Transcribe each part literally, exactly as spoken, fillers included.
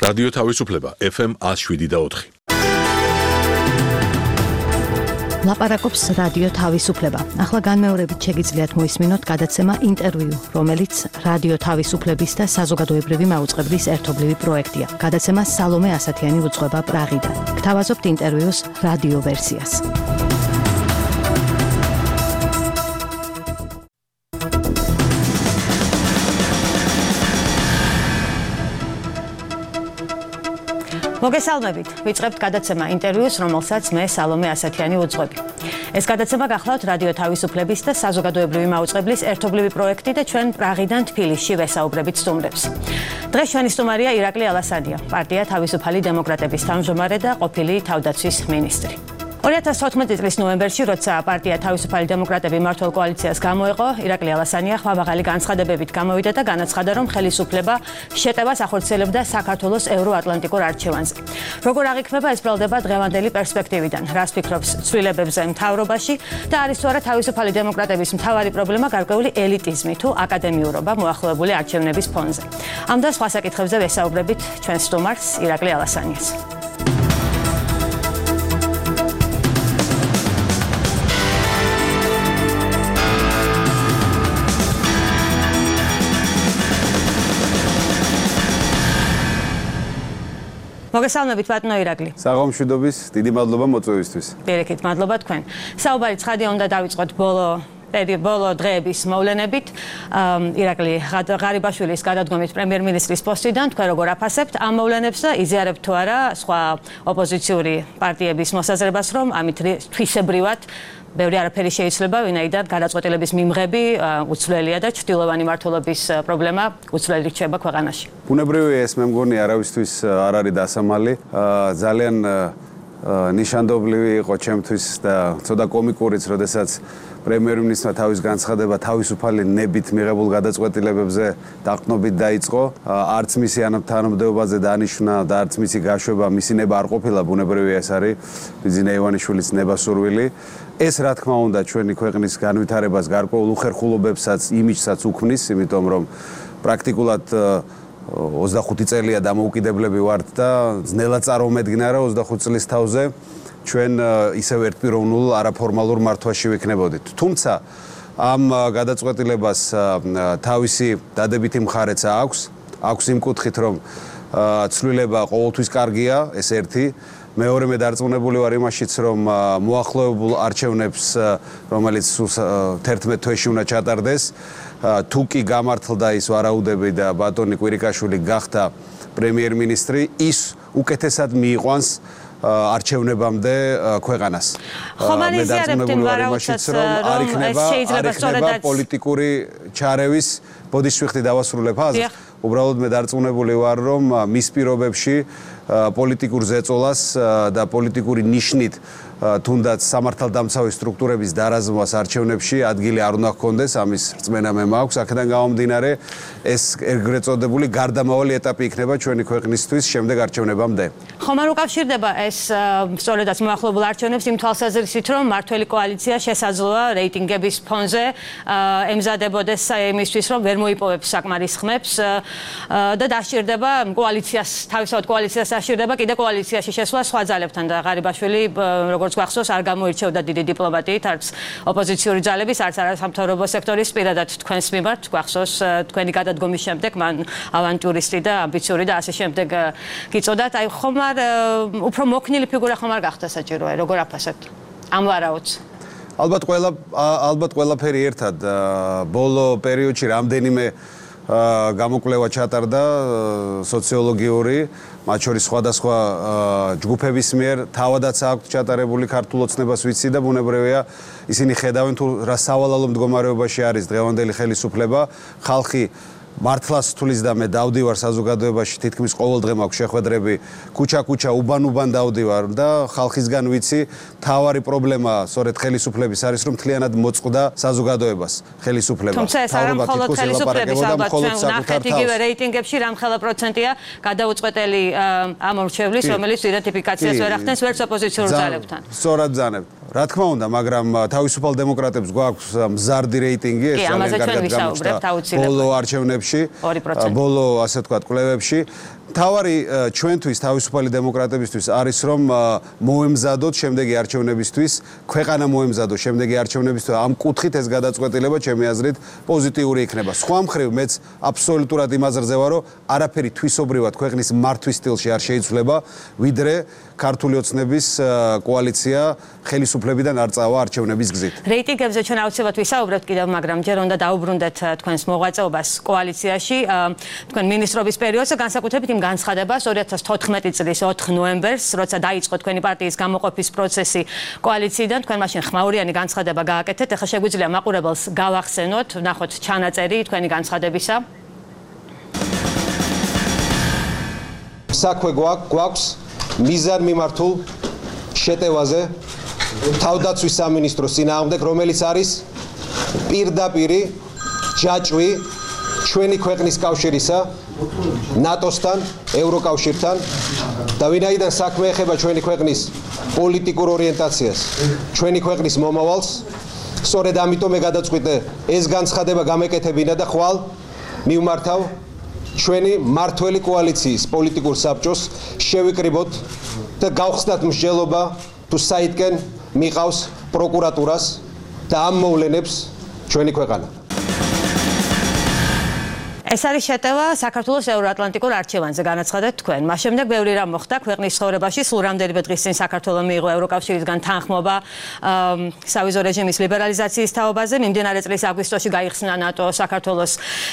რადიო თავისუფლება ეფ ემ ათს შვიდი და ოთხი. ლაპარაკობს რადიო თავისუფლება. ახლა განმეორებით შეგიძლიათ მოისმინოთ გადაცემა ინტერვიუ, რომელიც რადიო თავისუფლების და საზოგადოებრივი მაუწყებლის ერთობლივი პროექტია. გადაცემა სალომე ასათიანი უძღვება პრაღიდან. გთავაზობთ ინტერვიუს რადიო ვერსიას. მოგესალმებით. ვიწყებთ გადაცემა ინტერვიუს, რომელსაც მე სალომე ასათიანი უძღვები. ეს გადაცემა გახლავთ რადიო თავისუფლების და საზოგადოებრივი მაუწყებლის ერთობლივი პროექტი და ჩვენ პრაღიდან თბილისში ვესაუბრებით სტუმრებს. დღეს ჩვენი სტუმარია ირაკლი ალასანია, პარტია თავისუფალი დემოკრატების თავმჯდომარე და ყოფილი თავდაცვის მინისტრი. ორი ათას თოთხმეტი წლის ნოემბერში, როცა პარტია თავისუფალი დემოკრატები მმართველ კოალიციას გამოეყო, ირაკლი ალასანია ხმამაღალი განცხადებებით გამოვიდა და განაცხადა, რომ ხელისუფლება შეტევას ახორციელებდა საქართველოს ევროატლანტიკურ არჩევანზე. როგორ აღიქმება ეს ბრალდება დღევანდელი პერსპექტივიდან? რას ფიქრობს ცვლილებებზე მთავრობაში და არის თუ არა თავისუფალი დემოკრატების მთავარი პრობლემა გარკვეული ელიტიზმი თუ აკადემიურობა მოახლოებული არჩევნების ფონზე? ამ და სხვა საკითხებზე ვესაუბრებით ჩვენ სტუმარს ირაკლი ალასანიას. მოგესალმებით ბატონო ირაკლი. საღამომშვიდობის, დიდი მადლობა მოწვევისთვის. პირიქით, მადლობა თქვენ. საუბარი ცხადია უნდა დავიწყოთ ბოლო ბოლო დღეების მოვლენებით. ირაკლი ღარიბაშვილის გადადგომით პრემიერ-მინისტრის პოსტიდან თქვენ როგორ აფასებთ ამ მოვლენებს და იზიარებთ თუ არა სხვა ოპოზიციური პარტიების მოსაზრებას, რომ ამით თვისებრივად ბევრი არაფერი შეიძლება, ვინაიდან გადაწყვეტილების მიმღები უცვლელია და ჩრდილოვანი მმართველობის პრობლემა უცვლელი რჩება ქვეყანაში. ბუნებრივია ეს, მე მგონი არავისთვის არ არის დასამალი. ძალიან ნიშანდობლივი იყო ჩემთვის და ცოტა კომიკურიც, როდესაც პრემიერ-მინისტრმა თავის განცხადება თავისუფალი ნებით მიღებულ გადაწყვეტილებებზე დაყრდნობით დაიწყო. არც მისი თანამდებობაზე დანიშვნა და არც მისი გაშვება, მისი ნება არ ყოფილა, ბუნებრივია ეს არის ბიზნე ივანიშვილის ნებასურვილი. ეს რა თქმა უნდა ჩვენი ქვეყნის განვითარებას გარკვეულ უხერხულობებსაც, იმიჯსაც უქმნის, იმიტომ რომ პრაქტიკულად ოცდახუთი წელია დამოუკიდებლები ვართ და ძნელად წარმომედგინა რა ოცდახუთი წლის თავზე ჩვენ ისევ ერთპიროვნულ არაფორმალურ მართვაში ვიქნებოდით. თუმცა ამ გადაწყვეტილებას თავისი დადებითი მხარეც აქვს, აქვს იმ კუთხით, რომ ცვლილება ყოველთვის კარგია, ეს ერთი. მეორე მე დარწმუნებული ვარ იმაშიც, რომ მოახლოებულ არჩევნებს, რომელიც თერთმეტ თვეში უნდა ჩატარდეს, თუ კი გამართლდა ის ვარაუდები და ბატონი კვირიკაშვილი გახდა პრემიერ-მინისტრი, ის უკეთესად მიიყვანს არჩევნებამდე ქვეყანას. ხომ არ იზიარებთ იმ ვარაუდსაც, რომ ეს შეიძლება სწორედაც პოლიტიკური ჩარევის ბოდიშვიხტი დავასრულებ აზრს. უბრალოდ მე დარწმუნებული ვარ, რომ მის პირობებში პოლიტიკურ ზეწოლას და პოლიტიკური ნიშნით თუნდაც სამართალდამცავი სტრუქტურების დარაზმვას არჩევნებში ადგილი არ უნდა ჰქონდეს, ამის რწმენა მე მაქვს. აქედან გამომდინარე, ეს ეგრეთ წოდებული გარდამავალი ეტაპი იქნება ჩვენი ქვეყნისთვის შემდეგ არჩევნებამდე. ხომ არ უკავშირდება ეს სწორედაც მოახლოებულ არჩევნებს იმ თვალსაზრისით, რომ მმართველი კოალიცია შესაძლოა რეიტინგების ფონზე ემზადებოდეს იმისთვის, რომ ვერ მოიპოვებს საკმარის ხმებს და დასჭირდება კოალიციას, თავისთავად კოალიციას დასჭირდება კიდე კოალიციაში შესვლა სხვა ძალებთან და ღარიბაშვილი როგორც გვახსოვს არ გამოირჩევდა დიდი დიპლომატიით, არც ოპოზიციური ძალების, არც არასამთავრობო სექტორის პირადად თქვენს მიმართ გვახსოვს თქვენი გადადგომის შემდეგ მან ავანტურისტი და ამბიციური და ასე შემდეგ გიწოდათ. აი ხომ არ უფრო მოქნილი ფიგურა ხომ არ გახდა საჭიროა, როგორ აფასებთ ამ ვარაუდს? ალბათ ყველა ალბათ ყველაფერი ერთად ბოლო პერიოდში რამდენიმე გამოკვლევა ჩატარდა სოციოლოგიური, მათ შორის სხვადასხვა ჯგუფების მიერ, თავადაც აქვს ჩატარებული ქართულ ოცნებას ვიცი და ბუნებრივია ისინი ხედავენ თუ რა სავალალო მდგომარეობაში არის დღევანდელი ხელისუფლება. ხალხი მართლას თulis და მე დავდივარ საზოგადოებაში თითქმის ყოველ დღე მაქვს შეხვედრები ქუჩა-ქუჩა უბან-უბან დავდივარ და ხალხისგან ვიცი თავარი პრობლემა სწორედ ხელისუფლების არის რომ მთლიანად მოწყდა საზოგადოებას ხელისუფლება. თუმცა ეს არ მხოლოდ ხელისუფლების ალბათ ჩვენ ვნახეთ იგივე რეიტინგებში რამხელა პროცენტია გადაუწყვეტელი ამ მრჩევლის რომელიც იდენტიფიკაციას ვერ ახდენს ვერც ოპოზიციურ ძალებთან. სწორად ბრძანებთ. რა თქმა უნდა, მაგრამ თავისუფალ დემოკრატებს გვაქვს მზარდი რეიტინგი, ეს ძალიან კარგად გამოჩნდა ბოლო არჩევნებში, ბოლო ასე ვთქვათ, კვლევებში. თავარი ჩვენთვის თავისუფალი დემოკრატებისთვის არის რომ მოემზადოთ შემდეგი არჩევნებისთვის, ქვეყანა მოემზადოთ შემდეგი არჩევნებისთვის. ამ კუთხით ეს გადაწყვეტილება ჩემი აზრით პოზიტიური იქნება. სხვა მხრივ მეც აბსოლუტურად იმაზე რძევა, რომ არაფერი თვისობრივად ქვეყნის მართვის სტილში არ შეიცვლება, ვიდრე ქართული ოცნების კოალიცია ხელისუფლებიდან არ წავა არჩევნების გზით. რეიტინგებზე ჩვენ აუცილებლად ვისაუბრებთ კიდევ, მაგრამ ჯერ უნდა დაუბრუნდეთ თქვენს მოღვაწეობას კოალიციაში, თქვენ მინისტრობის პერიოდზე, განსაკუთრებით იმ განცხადებას ორი ათას თოთხმეტი წლის ოთხ ნოემბერს, როცა დაიწყო თქვენი პარტიის გამოყოფის პროცესი კოალიციიდან, თქვენ მაშინ ხმაურიანი განცხადება გააკეთეთ. ეხლა შეგვიძლია მაყურებელს გავახსენოთ, ნახოთ ჩანაწერი თქვენი განცხადებისა. საქმე გვაქვს მიზან მიმართულ შეტევაზე თავდაცვის სამინისტროს წინააღმდეგ, რომელიც არის პირდაპირი ჯაჭვი ჩვენი ქვეყნის კავშირისა ნატოსთან, ევროკავშირთან და ვინაიდან საქმე ეხება ჩვენი ქვეყნის პოლიტიკურ ორიენტაციას, ჩვენი ქვეყნის მომავალს, სწორედ ამიტომ მე გადაწყვიტე ეს განცხადება გამეკეთებინა და ხვალ მივმართავ ჩვენი მართველი კოალიციის პოლიტიკურ საბჭოს შევიკრიბოთ და გავხსნათ მსჯელობა თუ საითკენ მიყავს პროკურატურას და ამ მოვლენებს ჩვენი ქვეყანა. ეს არის შეტევა საქართველოს ევროატლანტიკურ არჩევანზე განაცხადეთ თქვენ. მას შემდეგ ბევრი რამ მოხდა ქვეყნის ცხოვრებაში, სულ რამდენიმე დღის წინ საქართველოს მიიღო ევროკავშირისგან თანხმობა სავიზო რეჟიმის ლიბერალიზაციის თაობაზე. მიმდინარე წლის აგვისტოში გაიხსნა ნატო საქართველოს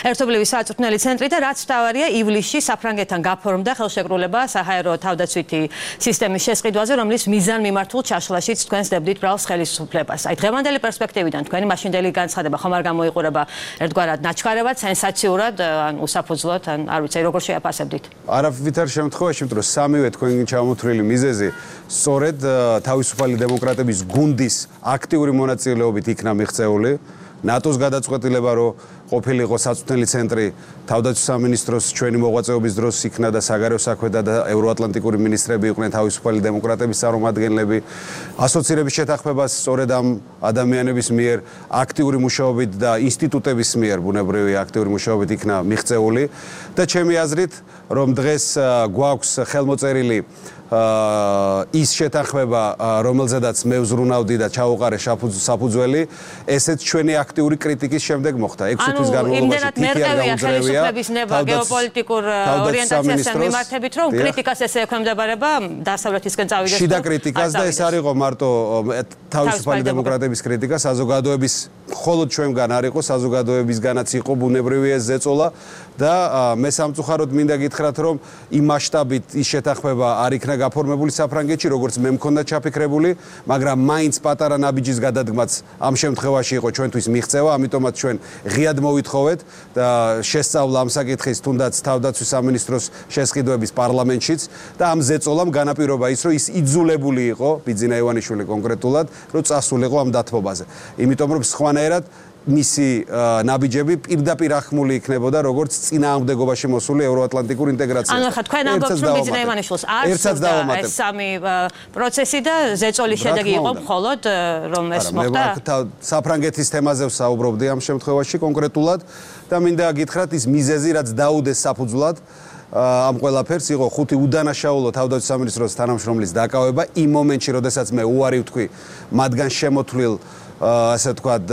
ერთობლივი სააწვრთნელი ცენტრი და რაც მთავარია, ივლისში საფრანგეთთან გაფორმდა ხელშეკრულება საჰაერო თავდაცვითი სისტემის შესყიდვაზე, რომლის მიზან მიმართულ ჩაშლაშიც თქვენ სდებდით ბრალს ხელისუფლებას. აი დღევანდელი პერსპექტივიდან თქვენი მაშინდელი განცხადება ხომ არ გამოიყურება ერთგვარად ნაჩქარევად, სენსაციურად ან უსაფუძვლოდ, ან არ ვიცი, როგორ შეაფასებდით? არავითარ შემთხვევაში, იმიტომ რომ სამივე თქვენი ჩამოთვლილი მიზეზი სწორედ თავისუფალი დემოკრატების გუნდის აქტიური მონაწილეობით იქნა მიღწეული. ნატოს გადაწყვეტილება, რომ ყოფილიყო საწვრთნელი ცენტრი თავდაცვის სამინისტროს ჩვენი მოღვაწეობის დროს იქნა და საგარეო საქმეთა და ევროატლანტიკური მინისტრები იყვნენ თავისუფალი დემოკრატების წარმომადგენლები. ასოცირების შეთანხმებას სწორედ ამ ადამიანების მიერ აქტიური მუშაობით და ინსტიტუტების მიერ ბუნებრივი აქტიური მუშაობით იქნა მიღწეული და ჩემი აზრით, რომ დღეს გვაქვს ხელმოწერილი ის შეთანხმება, რომელზედაც მე ვზრუნავდი და ჩაუყარე საფუძველი, ესეც ჩვენი აქტიური კრიტიკის შემდეგ მოხდა. ექვსი თვის განმავლობაში თითი არ გაუძლევია ხელისუფლების ნება გეოპოლიტიკურ ორიენტაციასთან მიმართებით, რომ კრიტიკას ესე ექვემდებარება დასავლეთისკენ წავიდეს. შიდა კრიტიკას და ეს არ იყო მარტო თავისუფალი დემოკრატების კრიტიკა, საზოგადოების მხოლოდ ჩვენგან არ იყო, საზოგადოებისგანაც იყო ბუნებრივი ეს ზეწოლა და მე სამწუხაროდ მინდა გითხრათ, რომ იმ მასშტაბით ის შეთანხმება არ იქნა გაფორმებული საფრანგეთში, როგორც მე მქონდა ჩაფიქრებული, მაგრამ მაინც პატარა ნაბიჯის გადადგმაც ამ შემთხვევაში იყო ჩვენთვის მიღწევა, ამიტომაც ჩვენ ღიად მოვითხოვეთ და შესწავლა ამ საკითხის თუნდაც თავდაცვის სამინისტროს შესყიდვების პარლამენტშიც და ამ ზეწოლამ განაპირობა ის, რომ ის იძულებული იყო, ბიძინა ივანიშვილი კონკრეტულად, რომ წასულიყო ამ დათმობაზე. იმიტომ რომ სხვანაირად მისი ნაბიჯები პირდაპირ ახმული იქნებოდა როგორც წინააღმდეგობაში მოსული ევროატლანტიკურ ინტეგრაციას. ანუ ხა თქვენ ამბობთ, რომ ბიძინა ივანიშვილს არ სურდა ეს სამი პროცესი და ზეწოლის შედეგი იყო მხოლოდ რომ ეს მოხდა. საფრანგეთის თემაზე ვსაუბრობდი ამ შემთხვევაში კონკრეტულად და მინდა გითხრათ ის მიზეზი, რაც დაუდეს საფუძვლად ამ ყველაფერს იყო ხუთი უდანაშაულო თავდაცვის სამინისტროს თანამშრომლის დაკავება იმ მომენტში, როდესაც მე უარი ვთქვი მათგან შემოთვლილ ასე ვთქვათ,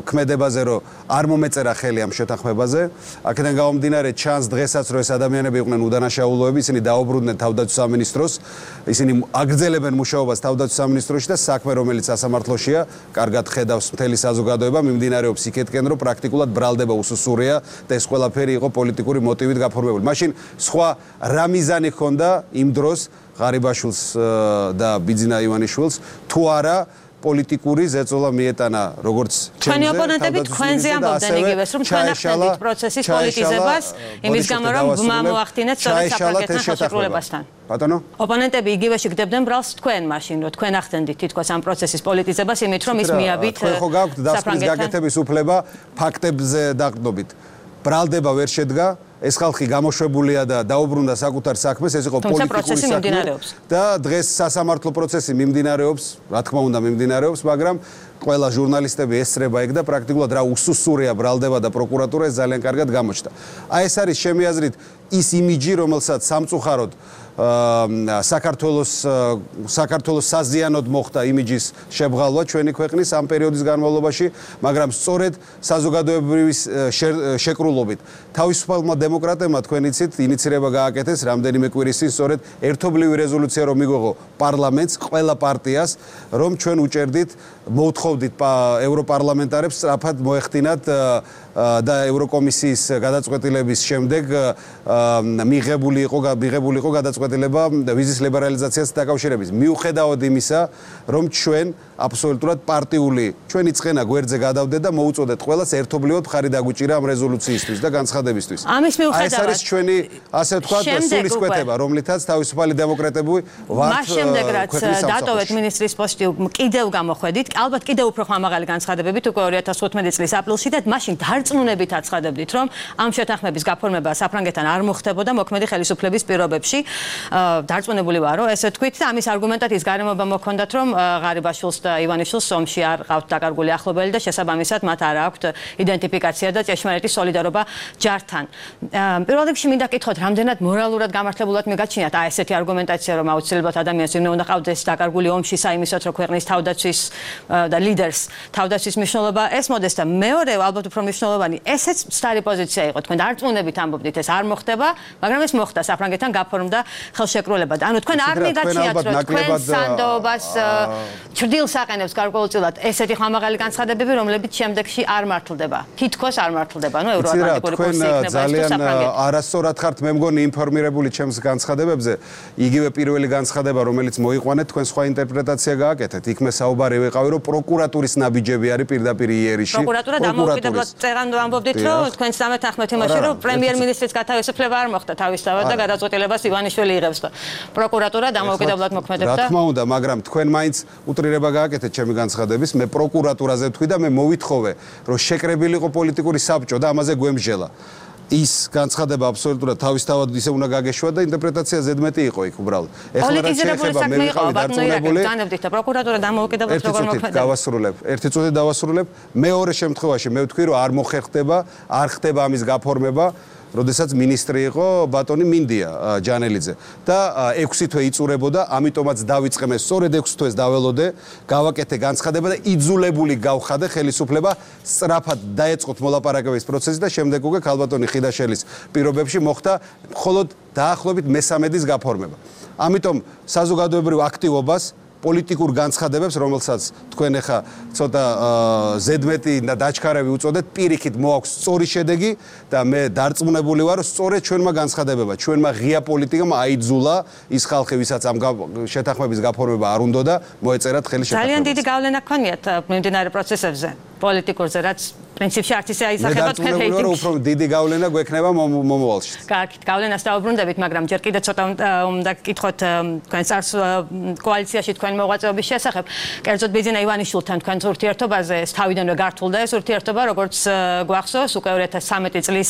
ქმედებაზე, რომ არ მომეწერა ხელი ამ შეთანხმებაზე. აქედან გამომდინარე, ჩანს დღესაც, რომ ეს ადამიანები იყვნენ უდანაშაულოები, ისინი დაუბრუნდნენ თავდაცვის სამინისტროს, ისინი აგრძელებენ მუშაობას თავდაცვის სამინისტროში და საქმე, რომელიც სასამართლოშია, კარგად ხედავს მთელი საზოგადოება, მიმდინარეობს იქეთკენ, რომ პრაქტიკულად ბრალდება უსუსურია და ეს ყველაფერი იყო პოლიტიკური მოტივით გაფორმებული. მაშინ სხვა რა მიზანი ჰქონდა იმ დროს ღარიბაშვილს და ბიძინა ივანიშვილს, თუ არა პოლიტიკური ზეწოლა მიეტანა როგორც ჩვენი ოპონენტები თქვენზე ამბობდნენ იგივეს, რომ თქვენ ახდენთ პროცესის პოლიტიზებას, იმის გამო რომ ბმა მოახდინეთ სწორედ საფრანგეთთან ხელშეკრულებასთან. ბატონო? ოპონენტები იგივე შეგდებდნენ ბრალს თქვენ მაშინ, რომ თქვენ ახდენთ თითქოს ამ პროცესის პოლიტიზებას, იმით რომ ის მიაბით თქვენ ხო გაქვთ დასკვნის გაკეთების უფლება ფაქტებზე დაყრდნობით. ბრალდება ვერ შედგა ეს ხალხი გამოშვებულია და დაუბრუნდა საკუთარ საქმეს, ეს იყო პოლიტიკური საქმე და დღეს სასამართლო პროცესი მიმდინარეობს, რა თქმა უნდა მიმდინარეობს, მაგრამ ყველა ჟურნალისტები ესწრება ეგ და პრაქტიკულად რა უსუსურია ბრალდება და პროკურატურა ეს ძალიან კარგად გამოჩნდა. აი ეს არის ჩემი აზრით ის იმიჯი, რომელსაც სამწუხაროდ საქართველოს საქართველოს საზიანოდ მოხდა იმიჯის შებრალვა ჩვენი ქვეყნის ამ პერიოდის განმავლობაში, მაგრამ სწორედ საზოგადოებრივი შეკრულობით თავისუფალმა დემოკრატებმა თქვენ იცით ინიცირება გააკეთეს რამდენიმე კვირის წინ სწორედ ერთობლივი რეზოლუცია რომ მიგვეღო პარლამენტს, ყველა პარტიას, რომ ჩვენ უჭერდით, მოვთხოვდით ევროპარლამენტარებს სწრაფად მოეხდინათ და ევროკომისიის გადაწყვეტილების შემდეგ მიღებული იყო მიღებული იყო გადაწყვეტილება ვიზის ლიბერალიზაციას დაკავშირებით. მიუხედავად იმისა, რომ ჩვენ აბსოლუტურად პარტიული ჩვენი წენა გვერდზე გადავდეთ და მოუწოდეთ ყველას ერთობლივად მხარი დაგვიჭირა ამ რეზოლუციისთვის და განცხადებისთვის. ამის მიუხედავად ეს არის ჩვენი ასე ვთქვათ სულისკვეთება, რომლითაც თავისუფალი დემოკრატები ვართ. მას შემდეგ რაც დატოვეთ მინისტრის პოსტი კიდევ გამოხვედით, ალბათ კიდევ უფრო ხმამაღალი განცხადებებით უკვე ორი ათას თხუთმეტი წლის აპრილში და მაშინ დარწმუნებით აცხადებდით, რომ ამ შეთანხმების გაფორმება საფრანგეთთან არ მოხდებოდა მოქმედი ხელისუფლების პირობებში. დარწმუნებული ვარ, რომ ესე თქვით და ამის არგუმენტად ის გარემოება მოქონდათ, რომ ღარიბაშვილს და ივანიშვილს ომში არ ყავთ დაკარგული ახლობელი და შესაბამისად მათ არ აქვთ იდენტიფიკაცია და ჭეშმარიტი სოლიდარობა ჯართან. პირველ რიგში მინდა კითხოთ, რამდენად მორალურად გამართლებულად მიგაჩნიათ აი ესეთი არგუმენტაცია, რომ აუცილებლად ადამიანს ვინმე უნდა ყავდეს დაკარგული ომში საიმისოთ, რომ ქვეყნის თავდაცვის და ლიდერს თავდაცვის მნიშვნელობა ეს მოდეს და მეორე ალბათ უფრო მნიშვნელოვანი ესეც სტარი პოზიცია იყო თქვენ დარწმუნებით ამბობდით ეს არ მოხდება, მაგრამ ეს მოხდა საფრანგეთთან გაფორმდა ხელშეკრულება. ანუ თქვენ არ მიგაჩნიათ, რომ თქვენ სანდოობას ჭრდილს აყენებს გარკვეულწილად ესეთი ხმამაღალი განცხადებები, რომლებიც შემდეგში არ მართლდება. თითქოს არ მართლდება, ანუ ევროატლანტიკური კურსი იქნება ეს თუ საფრანგეთი. არასწორად ხართ მე მგონი ინფორმირებული ჩემს განცხადებებზე, იგივე პირველი განცხადება, რომელიც მოიყვანეთ, თქვენ სხვა ინტერპრეტაცია გააკეთეთ. იქ მე საუბარი ვიყავი, რომ პროკურატურის ნაბიჯები არის პირდაპირ იერიში. პროკურატურა დამოუკიდებლად წერანდო ამბობდით, რომ თქვენ სამეთანხმეტ იმაში, რომ პრემიერ-მინისტრის გათავისუფლება არ მოხდა თავისთავად და გადაწყვეტილებას ივანიშვილი იღებს და პროკურატურა დამოუკიდებლად მოქმედებდა. რა თქმა უნდა, მაგრამ თქვენ მაინც უტრირება გააკეთეთ ჩემი განცხადების, მე პროკურატურაზე ვთქვი და მე მოვითხოვე, რომ შეკრებილიყო პოლიტიკური საბჭო და ამაზე გვემსჯელა. ის განცხადება აბსოლუტურად თავისთავად ისე უნდა გაგეშვა და ინტერპრეტაცია ზედმეტი იყო იქ უბრალოდ. ეხლა რაც შეეხება მე ვიყავი დარწმუნებული. დანებდით და პროკურატურა დამოუკიდებლად როგორ მოქმედებს. დავასრულებ. ერთი წუთი დავასრულებ. მეორე შემთხვევაში მე ვთქვი, რომ არ მოხერხდება, არ ხდება ამის გაფორმება. როდესაც მინისტრი იყო ბატონი მინდია ჯანელიძე და ექვსი თვე იწურებოდა, ამიტომაც დავიწყე მე სწორედ ექვსი თვეს დაველოდე, გავაკეთე განცხადება და იძულებული გავხადე ხელისუფლება სწრაფად დაეწყოთ მოლაპარაკების პროცესი და შემდეგ უკვე ქალბატონი ხიდაშელის პირობებში მოხდა მხოლოდ დაახლოებით მესამედის გაფორმება. ამიტომ საზოგადოებრივ აქტივობას პოლიტიკურ განცხადებებს, რომელსაც თქვენ ახლა ცოტა ზედმეტი და დაჩქარები უწოდეთ, პირიქით მოაქვს სწორი შედეგი და მე დარწმუნებული ვარ, რომ სწორედ ჩვენმა განცხადებებმა, ჩვენმა ღია პოლიტიკამ აიძულა ის ხალხი, ვისაც ამ შეთანხმების გაფორმება არ უნდოდა, მოეწერათ ხელი შეთანხმებას. ძალიან დიდი გავლენა გქონიათ მიმდინარე პროცესებზე, პოლიტიკურზე, რაც პრინციპში არც ისე აისახება თქვენ რეიტინგში. მე უფრო დიდი გავლენა გვექნება მომავალში. კარგით, გავლენას დაუბრუნდებით, მაგრამ ჯერ კიდე ცოტა უნდა გკითხოთ თქვენ წარს კოალიციაში თქვენ მოღვაწეობის შესახებ. კერძოდ ბიძინა ივანიშვილთან თქვენ ურთიერთობაზე ეს თავიდანვე გართულდა ეს ურთიერთობა, როგორც გვახსოვს, უკვე ორი ათას ცხრამეტი წლის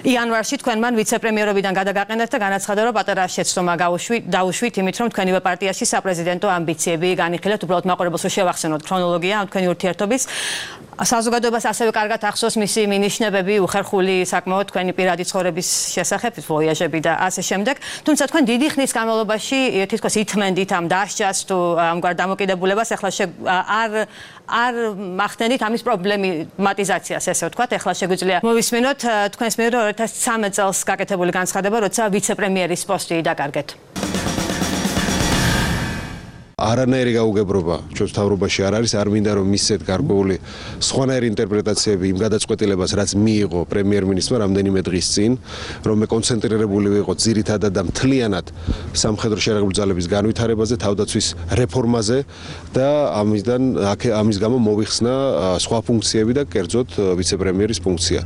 იანვარში თქვენ მან ვიცე-პრემიერობიდან გადაგაყენეთ და განაცხადა, რომ პატარა შეცდომა დაუშვით იმით, რომ თქვენივე პარტიაში საპრეზიდენტო ამბიციები განიხილეთ, უბრალოდ მაყურებელს შევახსენოთ ქრონოლოგია ამ თქვენი ურთიერთობის. საზოგადოებას ასევე კარგად ახსოვს მისი მინიშნებები, უხერხული საკმაოდ თქვენი პირადი ცხოვრების შესახებ, ვოიაჟები და ასე შემდეგ. თუმცა თქვენ დიდი ხნის განმავლობაში თითქოს ითმენდით ამ დასჯას თუ ამგვარ დამოკიდებულებას, ახლა არ არ მახდენით ამის პრობლემატიზაციას, ესე ვთქვათ, ახლა შეგვიძლია მოვისმინოთ თქვენს მიერ ორი ათას ცხრამეტ წელს გაკეთებული განცხადება, როცა ვიცე-პრემიერის პოსტი დაკარგეთ. არანაირი გაუგებრობა ჩვენს თავრობაში არ არის, არ მინდა რომ მისცეთ გარკვეული სხვანაირი ინტერპრეტაციები იმ გადაწყვეტილებას, რაც მიიღო პრემიერ-მინისტრმა რამდენიმე დღის წინ, რომ მე კონცენტრირებული ვიყო ძირითადად და მთლიანად სამხედრო შერაგებული ძალების განვითარებაზე, თავდაცვის რეფორმაზე და ამისგან ამის გამო მოვიხსნა სხვა ფუნქციები და კერძოდ ვიცე-პრემიერის ფუნქცია.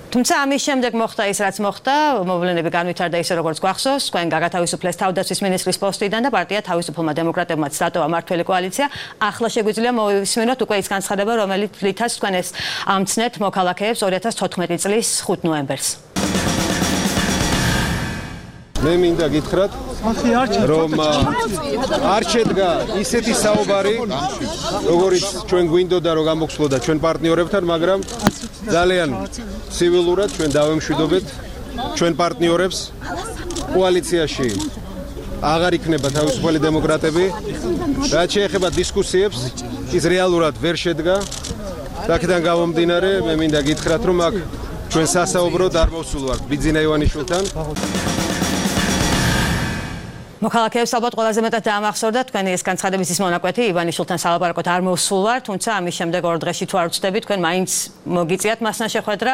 თუმცა ამის შემდეგ მოხდა ის, რაც მოხდა, მოვლენები განვითარდა ისე, როგორც გვახსოვს, თქვენ გაგათავისუფლეს თავდაცვის მინისტრის პოსტიდან და პარტია თავისუფლმა დემოკრატებმაც დატოვა მმართველი კოალიცია. ახლა შეგვიძლია მოვისმინოთ უკვე ის განცხადება, რომელიც რითაც თქვენ ეს ამცნეთ მოქალაქეებს ორი ათას თოთხმეტი წლის ხუთ ნოემბერს. მე მინდა გითხრათ, რომ არ შედგა ისეთი საუბარი, როგორიც ჩვენ გვინდოდა რომ გამოგხსნოდა ჩვენ პარტნიორებთან, მაგრამ ძალიან ცივილურად ჩვენ დავემშვიდობეთ ჩვენ პარტნიორებს კოალიციაში აღარ იქნება თავისუფალი დემოკრატები. რაც შეეხება დისკუსიებს, ის რეალურად ვერ შედგა. აქედან გამომდინარე, მე მინდა გითხრათ, რომ აქ ჩვენ სასაუბროდ არ მოვსულვართ ბიძინა ივანიშვილთან. მოქალაქეებს ალბათ ყველაზე მეტად დაამახსოვრდა თქვენი ეს განცხადების ის მონაკვეთი ივანიშვილთან სალაპარაკოდ არ მოვსულვარ, თუმცა ამის შემდეგ ორ დღეში თუ არ ვწდები, თქვენ მაინც მოგიწიათ მასთან შეხვედრა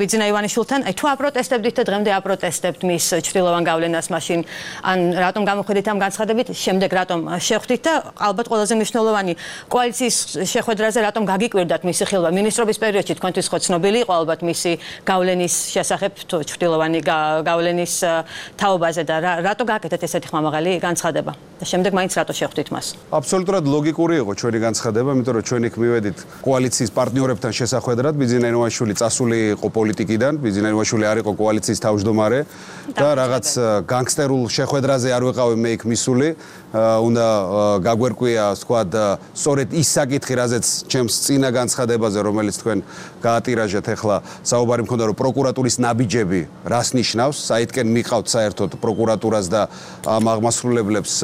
ბიძინა ივანიშვილთან. აი თუ აპროტესტებდით და დღემდე აპროტესტებთ მის ჩრდილოვან გავლენას მაშინ, ან რატომ გამოხედით ამ განცხადებით, შემდეგ რატომ შეხვდით და ალბათ ყველაზე მნიშვნელოვანი კოალიციის შეხვედრაზე რატომ გაგიკვირდათ მისი ხილვა მინისტრობის პერიოდში, თქვენთვის ხო ცნობილი იყო ალბათ მისი გავლენის შესახებ თუ ჩრდილოვანი გავლენის თაობაზე და რატო გაკეთეთ ესეთი ხმამაღალი განცხადება და შემდეგ მაინც რატო შეხვდით მას? აბსოლუტურად ლოგიკური იყო ჩვენი განცხადება, იმიტომ რომ ჩვენ იქ მივედით კოალიციის პარტნიორებთან შესახვედრად. ბიძინა ივანიშვილი წასული იყო პოლიტიკიდან, ბიძინა ივანიშვილი არ იყო კოალიციის თავმჯდომარე და რაღაც განგსტერულ შეხვედრაზე არ ვიყავი მე იქ მისული. უნდა გაგვერკვია, თქვათ, სწორედ ის საკითხი, რაზეც ჩემს წინა განცხადებაზე, რომელიც თქვენ გაატირაჟეთ, ახლა საუბარი მქონდა, რომ პროკურატურის ნაბიჯები რას ნიშნავს, საითკენ მიყავთ საერთოდ პროკურატურას და ამ აღმასრულებლებს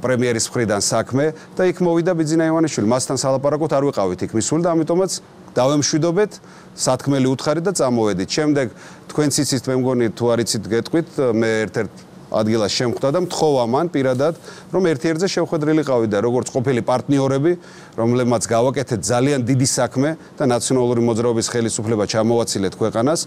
პრემიერის მხრიდან საქმე და იქ მოვიდა ბიძინა ივანიშვილი. მასთან სალაპარაკოდ არ ვიყავით იქ მისული და ამიტომაც დავემშვიდობეთ, სათქმელი უთხარით და წამოვედით. შემდეგ თქვენც იცით, მე მგონი თუ არ იცით გეტყვით, მე ერთ-ერთ ადგილას შემხვდა და მთხოვა მან პირადად, რომ ერთ-ერთზე შევხვედრილიყავი და როგორც ყოფილი პარტნიორები, რომლებმაც გავაკეთეთ ძალიან დიდი საქმე და ნაციონალური მოძრაობის ხელისუფლება ჩამოვაცილეთ ქვეყანას,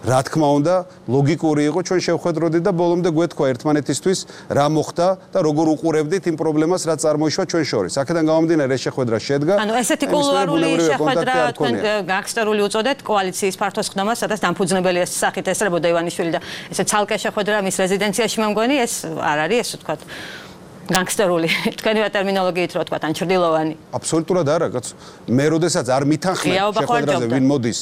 რა თქმა უნდა, ლოგიკური იყო ჩვენ შევხვედროდით და ბოლომდე გვეთქვა ერთმანეთისთვის რა მოხდა და როგორ უყურებდით იმ პრობლემას, რაც წარმოიშვა ჩვენ შორის. აქედან გამომდინარე, ეს შეხვედრა შედგა. ანუ ესეთი კულუარული შეხვედრა თქვენ განგსტერული უწოდეთ კოალიციის ფართოს ხდომას, სადაც დამფუძნებელი ეს სახით ესწრებოდა ივანიშვილი და ესე ცალკე შეხვედრა მის რეზიდენციაში მგონი ეს არ არის ეს ვთქვათ განგსტერული თქვენივე ტერმინოლოგიით რო ვთქვათ ან ჩრდილოვანი. აბსოლუტურად არა, კაცო. მე როდესაც არ მითანხმებ შეხვედრაზე ვინ მოდის,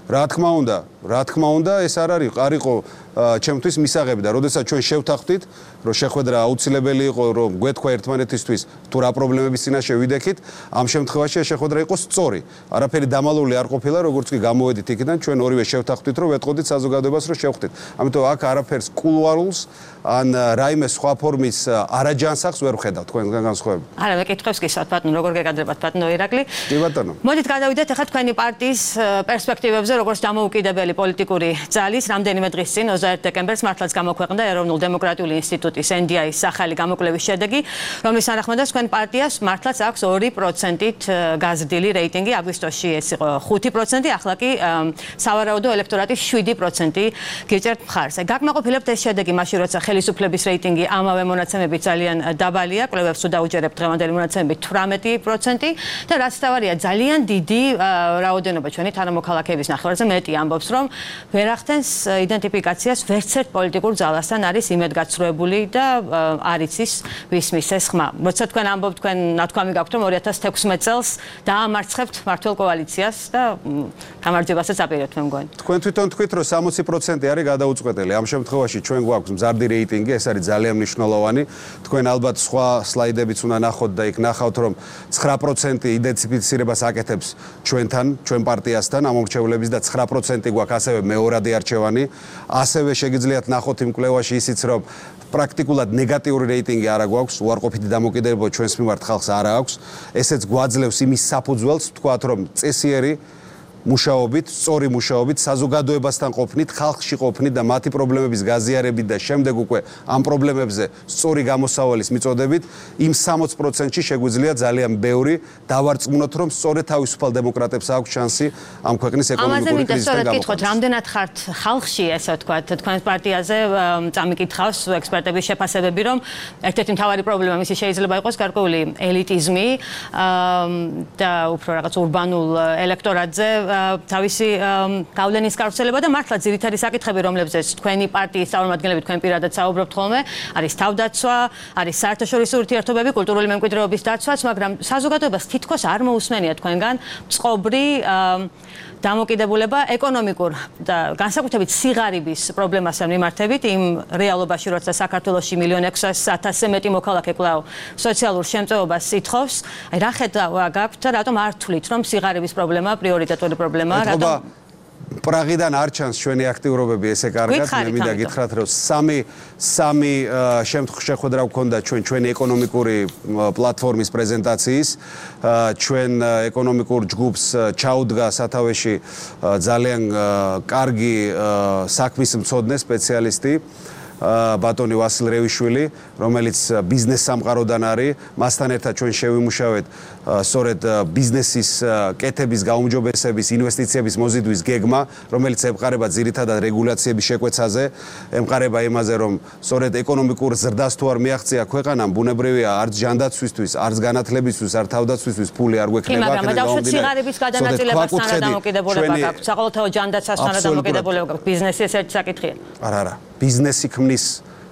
რა თქმა უნდა, რა თქმა უნდა, ეს არ არის, არ იყო ჩემთვის მისაღები და როდესაც ჩვენ შევთანხმდით, რომ შეხვედრა აუცილებელი იყო, რომ გვეთქვა ერთმანეთისთვის თუ რა პრობლემების წინაშე ვიდექით, ამ შემთხვევაში შეხვედრა იყო სწორი. არაფერი დამალული არ ყოფილა, როგორც კი გამოვედით იქიდან, ჩვენ ორივე შევთანხმდით, რომ ვეტყოდით საზოგადოებას, რომ შევხვდით. ამიტომ აქ არაფერს კულუარულს ან რაიმე სხვა ფორმის არაჯანსაღს ვერ ვხედავ თქვენგან განსხვავებით. არა, მე კითხავს გისვათ, ბატონო, როგორ გეკადრებათ, ბატონო ირაკლი? კი ბატონო. მოდით გადავიდეთ ახლა თქვენი პარტიის პერსპექტივებზე, როგორც დამოუკიდებელი პოლიტიკური ძალის, რამდენიმე დღის წინ ოცდაერთი დეკემბერს მართლაც გამოქვეყნდა ეროვნულ-დემოკრატიული ინსტიტუტის ენ დი აის ახალი გამოკვლევის შედეგი, რომლის თანახმადაც თქვენ პარტიას მართლაც აქვს ორი პროცენტით გაზრდილი რეიტინგი, აგვისტოში ეს იყო ხუთი პროცენტი, ახლა კი სავარაუდო ელექტორატის შვიდი პროცენტი გიჭერთ მხარს. გაკმაყოფილებთ ეს შედეგი მაშინ, როცა ხელისუფლების რეიტინგი ამავე მონაცემებით ძალიან დაბალია, კვლევებს თუ დაუჯერებთ დღევანდელი მონაცემებით თვრამეტი პროცენტი და რაც თავარია ძალიან დიდი რაოდენობა ჩვენი თანამოქალაქეების ნახევარზე მეტი ამბობს, რომ ვერ ახდენს იდენტიფიკაციას ვერც ერთ პოლიტიკურ ძალასთან არის იმედგაცრუებული და არ იცის ვის მისეს ხმა. როცა თქვენ ამბობთ, თქვენ ნათქვამი გაქვთ, რომ ორი ათას თექვსმეტ წელს დაამარცხებთ მართლ კოალიციას და გამარჯვებასაც აპირებთ, მე მგონი. თქვენ თვითონ თქვით, რომ სამოცი პროცენტი არის გადაუწყვეტელი. ამ შემთხვევაში ჩვენ გვაქვს მზარდი რეიტინგი, ეს არის ძალიან მნიშვნელოვანი. თქვენ ალბათ სხვა სლაიდებიც უნდა ნახოთ და იქ ნახავთ, რომ ცხრა პროცენტი იდენტიფიცირებას აკეთებს ჩვენთან, ჩვენ პარტიასთან ამორჩევლების და ცხრა პროცენტი გვაქვს ასევე მეორადი არჩევანი. ასევე შეგიძლიათ ნახოთ იმ კვლევაში ისიც, რომ პრაქტიკულად ნეგატიური რეიტინგი არ აქვს, უარყოფითი დამოკიდებულება ჩვენს მიმართ ხალხს არ აქვს. ესეც გვაძლევს იმის საფუძველს, ვთქვათ, რომ წესიერი მუშაობით, სწორი მუშაობით, საზოგადოებასთან ყოფნით, ხალხში ყოფნით და მათი პრობლემების გაზიარებით და შემდეგ უკვე ამ პრობლემებზე სწორი გამოსავალის მიწოდებით, იმ სამოცი პროცენტში შეგვიძლია ძალიან ბევრი დავარწმუნოთ, რომ სწორედ თავისუფალ დემოკრატებს აქვს შანსი ამ ქვეყნის ეკონომიკური კრიზისიდან გამოყვანას. კითხოთ, რამდენად ხართ ხალხში, ესე ვთქვათ, თქვენს პარტიაზე წამიკითხავს ექსპერტების შეფასებები, რომ ერთ-ერთი მთავარი პრობლემა მისი შეიძლება იყოს გარკვეული ელიტიზმი და უფრო რაღაც ურბანულ ელექტორატზე თავისი გავლენის გავრცელება და მართლა ძირითადი საკითხები, რომლებზეც თქვენი პარტიის წარმომადგენლები თქვენ პირადად საუბრობთ ხოლმე, არის თავდაცვა, არის საერთაშორისო ურთიერთობები, კულტურული მემკვიდრეობის დაცვაც, მაგრამ საზოგადოებას თითქოს არ მოусმენია თქვენგან წყობრი დამოკიდებულება ეკონომიკურ და განსაკუთრებით სიღარიბის პრობლემასთან მიმართებით იმ რეალობაში, როცა საქართველოში მილიონ ექვსას ათასზე მეტი მოქალაქე კვლავ სოციალურ შემწეობას ითხოვს. აი რა ხედვა გაქვთ და რატომ არ თვლით, რომ სიღარიბის პრობლემა პრიორიტეტული პრობლემაა, რატომ პრაღიდან არ ჩანს ჩვენი აქტიურობები ესე კარგად, მე მინდა გითხრათ, რომ სამი სამი შეხვედრა გვქონდა ჩვენ ჩვენი ეკონომიკური პლატფორმის პრეზენტაციის, ჩვენ ეკონომიკურ ჯგუფს ჩაუდგა სათავეში ძალიან კარგი საქმის მცოდნე სპეციალისტი ბატონი ვასილ რევიშვილი, რომელიც ბიზნეს სამყაროდან არის, მასთან ერთად ჩვენ შევიმუშავეთ სწორედ ბიზნესის კეთების, გაუმჯობესების, ინვესტიციების მოზიდვის გეგმა, რომელიც ემყარება ძირითადად რეგულაციების შეკვეცაზე, ემყარება იმაზე, რომ სწორედ ეკონომიკურ ზრდას თუ არ მიაღწია ქვეყანამ, ბუნებრივია არც ჯანდაცვისთვის, არც განათლებისთვის, არც თავდაცვისთვის ფული არ გვექნება. მაგრამ დავუშვათ სიღარიბის გადანაწილებასთან რა დამოკიდებულება გაქვთ, საყოველთაო ჯანდაცვასთან რა დამოკიდებულება გაქვთ, ბიზნესი ეს ერთი საკითხია. არა, არა. ბიზნესი ქმნის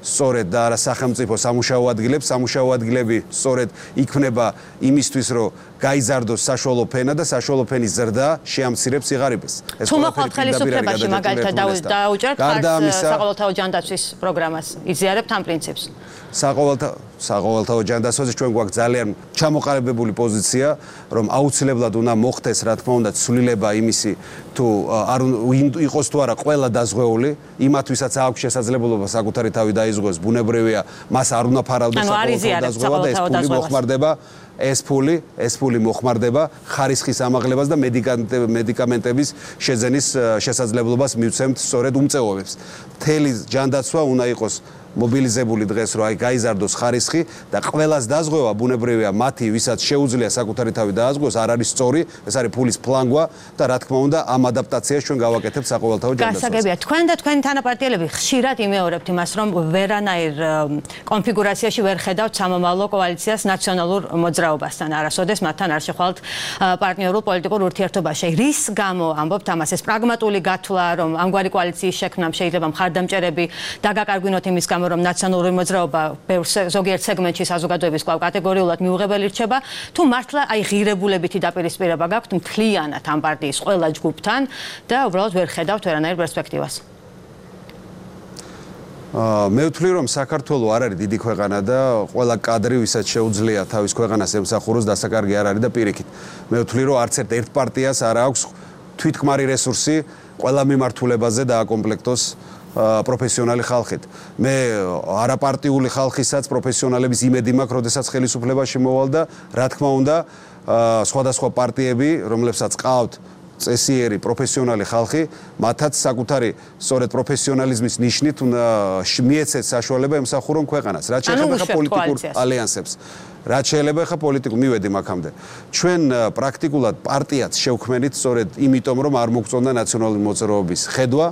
სწორედ და არა სახელმწიფო სამუშაო ადგილებს, სამუშაო ადგილები სწორედ იქმნება იმისთვის, რომ გაიზარდოს საშუალო ფენა და საშუალო ფენის ზრდა შეამცირებს სიღარიბეს. თუ მოხვალთ ხელისუფლებაში მაგალითად დაუჭერთ საყოველთაო ჯანდაცვის პროგრამას, იზიარებთ ამ პრინციპს? საყოველთაო საყოველთაო ჯანდაცვაზე ჩვენ გვაქვს ძალიან ჩამოყალიბებული პოზიცია, რომ აუცილებლად უნდა მოხდეს, რა თქმა უნდა, ცვლილება იმისი, თუ არ იყოს თუ არა ყველა დაზღვეული, იმათვისაც აქვს შესაძლებლობა საკუთარი თავი დაიზღვოს, ბუნებრივია, მას არ უნდა ფარავდეს საყოველთაო დაზღვევა და ეს ფული მოხმარდება ეს ფული, ეს ფული მოხმარდება ხარისხის ამაღლებას და მედიკამენტების შეძენის შესაძლებლობას მივცემთ სწორედ უმწეობებს. მთელი ჯანდაცვა უნდა იყოს მობილიზებული დღეს, რომ აი გაიზარდოს ხარისხი და ყველას დაზღვევა ბუნებრივია მათი, ვისაც შეუძლია საკუთარი თავი დააზღვოს, არ არის სწორი, ეს არის ფულის ფლანგვა და რა თქმა უნდა ამ ადაპტაციას ჩვენ გავაკეთებთ საყოველთაო ჯანდაცვას. გასაგებია, თქვენ და თქვენი თანაპარტიელები ხშირად იმეორებთ იმას, რომ ვერანაირ კონფიგურაციაში ვერ ხედავთ სამომავლო კოალიციას ნაციონალურ მოძრაობასთან, არასოდეს მათთან არ შეხვალთ პარტნიორულ პოლიტიკურ ურთიერთობაში. რის გამო ამბობთ ამას? ეს პრაგმატული გათვლა, რომ ამგვარი კოალიციის შექმნამ შეიძლება მხარდამჭერები დაგაკარგვინოთ იმის გამო, რომ ნაციონალური მოძრაობა ზოგიერთ სეგმენტში საზოგადოების კვლავ კატეგორიულად მიუღებელი რჩება, თუ მართლა აი ღირებულებითი დაპირისპირება გაქვთ მთლიანად ამ პარტიის ყველა ჯგუფთან და უბრალოდ ვერ ხედავთ ვერანაირ პერსპექტივას? მე ვთვლი, რომ საქართველო არ არის დიდი ქვეყანა და ყველა კადრი, ვისაც შეუძლია თავის ქვეყანას ემსახუროს, დასაკარგი არ არის და პირიქით. მე ვთვლი, რომ არც ერთ ერთ პარტიას არ აქვს თვითქმარი რესურსი ყველა მიმართულებაზე დააკომპლექტოს პროფესიონალი ხალხით. მე არაპარტიული ხალხისაც პროფესიონალების იმედი მაქვს, როდესაც ხელისუფლებაში მოვალ და რა თქმა უნდა, სხვადასხვა პარტიები, რომლებსაც ყავთ წესიერი პროფესიონალი ხალხი, მათაც საკუთარი სწორედ პროფესიონალიზმის ნიშნით უნდა მიეცეთ საშუალება ემსახურონ ქვეყანას. რაც შეეხება ხა პოლიტიკურ ალიანსებს. რაც შეიძლება ხა პოლიტიკურ მივედი მაგამდე. ჩვენ პრაქტიკულად პარტიაც შევქმნით სწორედ იმიტომ, რომ არ მოგწონდა ნაციონალური მოძრაობის ხედვა,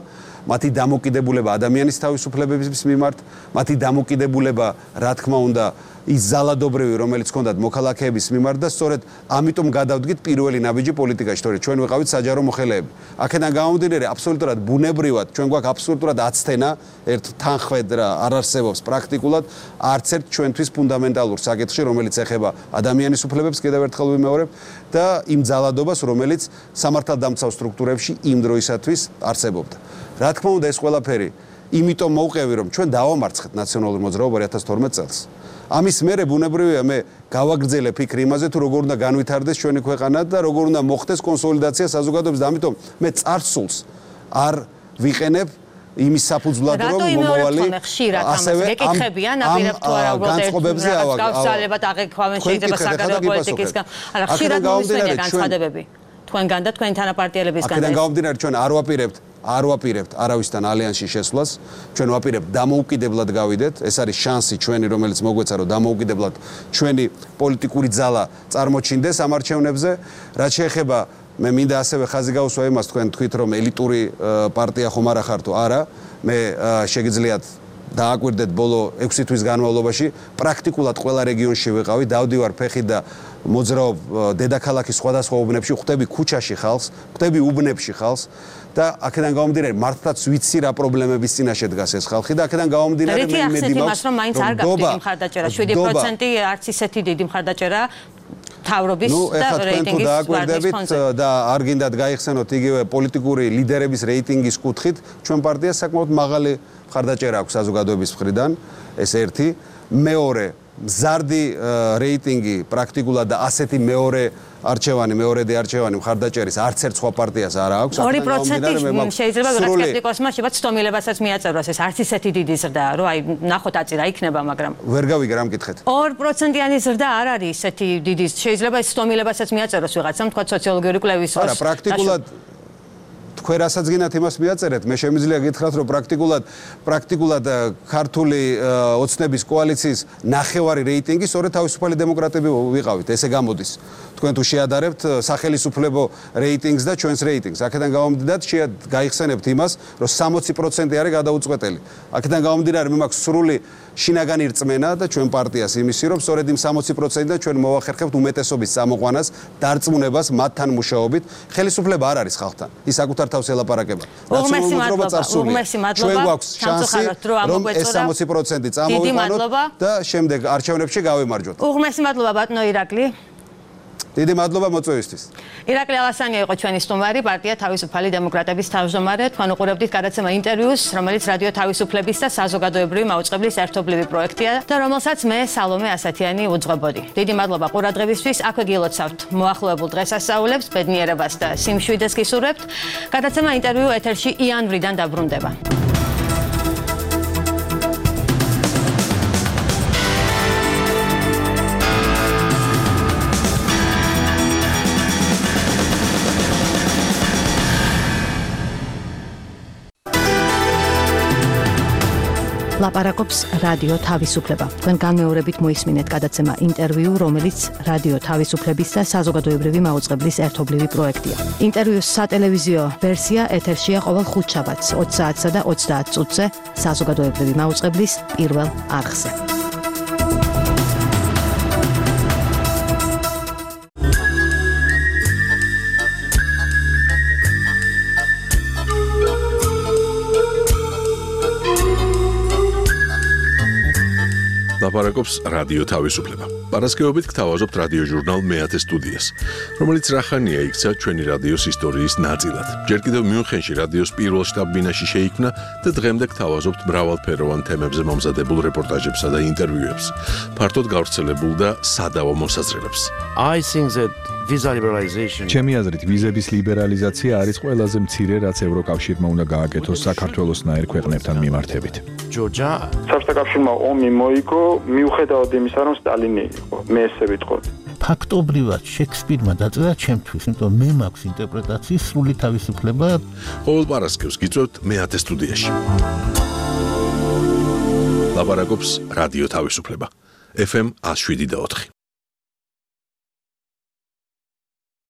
მათი დამოკიდებულება ადამიანის თავისუფლებების მიმართ, მათი დამოკიდებულება, რა თქმა უნდა, ის ზალადობრივი, რომელიც ჰქონდათ მოქალაქეების მიმართ და სწორედ ამიტომ გადავდგით პირველი ნაბიჯი პოლიტიკაში, თორე ჩვენ ვიყავით საჯარო მოხელეები. აქედან გამომდინარე, აბსოლუტურად ბუნებრივად, ჩვენ გვაქვს აბსოლუტურად აცდენა, ერთ თანხმედრა არ არსებობს პრაქტიკულად არც ერთ ჩვენთვის ფუნდამენტალურ საკითხში, რომელიც ეხება ადამიანის უფლებებს, კიდევ ერთხელ ვიმეორებ, და იმ ზალადობას, რომელიც სამართალდამცავ სტრუქტურებში იმ დროისათვის არსებობდა. რა თქმა უნდა, ეს ყველაფერი იმიტომ მოვყევი, რომ ჩვენ დავამარცხეთ ნაციონალური მოძრაობა ორი ათას თორმეტ წელს. ამის მერე ბუნებრივია მე გავაგრძელე ფიქრი იმაზე, თუ როგორ უნდა განვითარდეს ჩვენი ქვეყანა და როგორ უნდა მოხდეს კონსოლიდაცია საზოგადოების და ამიტომ მე წარსულს არ ვიყენებ იმის საფუძვლად, რომ მომავალი ასევე ეკითხებიან აპირებთ თუ არა უბრალოდ განწყობებზე გავსალებად აღიქვამენ შეიძლება საგარეო პოლიტიკისგან. არა, ხშირად მოისმენია განცხადებები თქვენგან და თქვენი თანაპარტიელებისგან. აქედან გამომდინარე, ჩვენ არ ვაპირებთ არ ვაპირებთ არავისთან ალიანსში შესვლას, ჩვენ ვაპირებთ დამოუკიდებლად გავიდეთ, ეს არის შანსი ჩვენი, რომელიც მოგვეცა, რომ დამოუკიდებლად ჩვენი პოლიტიკური ძალა წარმოჩინდეს ამ არჩევნებზე. რაც შეეხება, მე მინდა ასევე ხაზი გავუსვა იმას, თქვენ თქვით, რომ ელიტური პარტია ხომ არა ხარ თუ არა, მე შეგიძლიათ დააკვირდეთ ბოლო ექვსი თვის განმავლობაში პრაქტიკულად ყველა რეგიონში ვიყავი, დავდივარ ფეხით და მოძრაობ დედაქალაქის სხვადასხვა უბნებში, ხვდები ქუჩაში ხალხს, ხვდები უბნებში ხალხს და აქედან გამომდინარე მართლაც ვიცი რა პრობლემების წინაშე დგას ეს ხალხი და აქედან გამომდინარე მე იმედი მაქვს რომ მაინც არ გაქვს დიდი მხარდაჭერა, შვიდი პროცენტი არც ისეთი დიდი მხარდაჭერა თავრობის და რეიტინგის დააკვირდებით და არ გინდათ გაიხსენოთ იგივე პოლიტიკური ლიდერების რეიტინგის კუთხით, ჩვენ პარტიას საკმაოდ მაღალი მხარდაჭერა აქვს საზოგადოების მხრიდან, ეს ერთი, მეორე მზარდი რეიტინგი პრაქტიკულად და ასეთი მეორე არჩევანი, მეორედი არჩევანი მხარდაჭერის არც ერთ სხვა პარტიას არ აქვს. ორი პროცენტი შეიძლება ვიღაც სკეპტიკოსმა შევა ცდომილებასაც მიაწეროს ეს არც ისეთი დიდი ზრდაა, რომ აი ნახოთ აწი რა იქნება, მაგრამ ვერ გავიგე რა მკითხეთ. ორი პროცენტიანი ზრდა არ არის ისეთი დიდი, შეიძლება ეს ცდომილებასაც მიაწეროს ვიღაცამ, თქვა სოციოლოგიური კვლევის დროს. არა, პრაქტიკულად თქვენ რასაც გინათ იმას მიაწერეთ, მე შემიძლია გითხრათ, რომ პრაქტიკულად პრაქტიკულად ქართული ოცნების კოალიციის ნახევარი რეიტინგი სწორედ თავისუფალი დემოკრატები ვიყავით, ესე გამოდის. თქვენ თუ შეადარებთ სახელმწიფო რეიტინგს და ჩვენს რეიტინგს, აქედან გამომდინარე გაიხსენებთ იმას, რომ სამოცი პროცენტი არის გადაუწყვეტელი. აქედან გამომდინარე მე მაქვს სრული შინაგანი რწმენა და ჩვენ პარტიას იმისი, რომ სწორედ იმ სამოცი პროცენტიდან ჩვენ მოვახერხებთ უმეტესობის წამოყვანას, დარწმუნებას მათთან მუშაობით. ხელისუფლება არ არის ხალხთან. ის საკუთარ თავს ელაპარაკება. ნაციონალურობა წარსულია. ჩვენ გვაქვს შანსი, რომ ეს სამოცი პროცენტი წამოვიყვანოთ და შემდეგ არჩევნებში გავიმარჯვოთ. უღმესი მადლობა ბატონო ირაკლი. დიდი მადლობა მოწვევისთვის. ირაკლი ალასანია იყო ჩვენი სტუმარი, პარტია თავისუფალი დემოკრატების თავმჯდომარე. თქვენ უყურებდით გადაცემა ინტერვიუს, რომელიც რადიო თავისუფლების და საზოგადოებრივი მაუწყებლის ერთობლივი პროექტია და რომელსაც მე სალომე ასათიანი უძღვებოდი. დიდი მადლობა ყურადღებისთვის. აქვე გილოცავთ მოახლოებულ დღესასწაულებს, ბედნიერებას და სიმშვიდეს გისურვებთ. გადაცემა ინტერვიუ ეთერში იანვრიდან დაბრუნდება. ლაპარაკობს რადიო თავისუფლება. თქვენ განმეორებით მოისმინეთ გადაცემა ინტერვიუ, რომელიც რადიო თავისუფლების და საზოგადოებრივი მაუწყებლის ერთობლივი პროექტია. ინტერვიუს სატელევიზიო ვერსია ეთერშია ყოველ ხუთშაბათს ოცი საათსა და ოცდაათ წუთზე საზოგადოებრივი მაუწყებლის პირველ არხზე. ლაპარაკობს რადიო თავისუფლება. პარასკევობით გთავაზობთ რადიო ჟურნალ მეათე სტუდიას, რომელიც რახანია იქცა ჩვენი რადიოს ისტორიის ნაწილად. ჯერ კიდევ მიუნხენში რადიოს პირველ შტაბ-ბინაში შეიქმნა და დღემდე გთავაზობთ მრავალფეროვან თემებზე მომზადებულ რეპორტაჟებსა და ინტერვიუებს, ფართოდ გავრცელებულ და სადავო მოსაზრებებს. I think that visa liberalization ჩემი აზრით ვიზების ლიბერალიზაცია არის ყველაზე მცირე, რაც ევროკავშირმა უნდა გააკეთოს საქართველოსნაირ ქვეყნებთან მიმართებით. Georgia საბჭოთა ომი მოიგო მიუხედავად იმისა, რომ სტალინი იყო. მე ესე ვიტყოდი. ფაქტობრივად შექსპირმა დაწერა ჩემთვის, იმიტომ მე მაქვს ინტერპრეტაციის სრული თავისუფლება. ყოველ პარასკევს გიწევთ მეათე სტუდიაში. ლაპარაკობს რადიო თავისუფლება. ეფ ემ ათს შვიდი და ოთხი.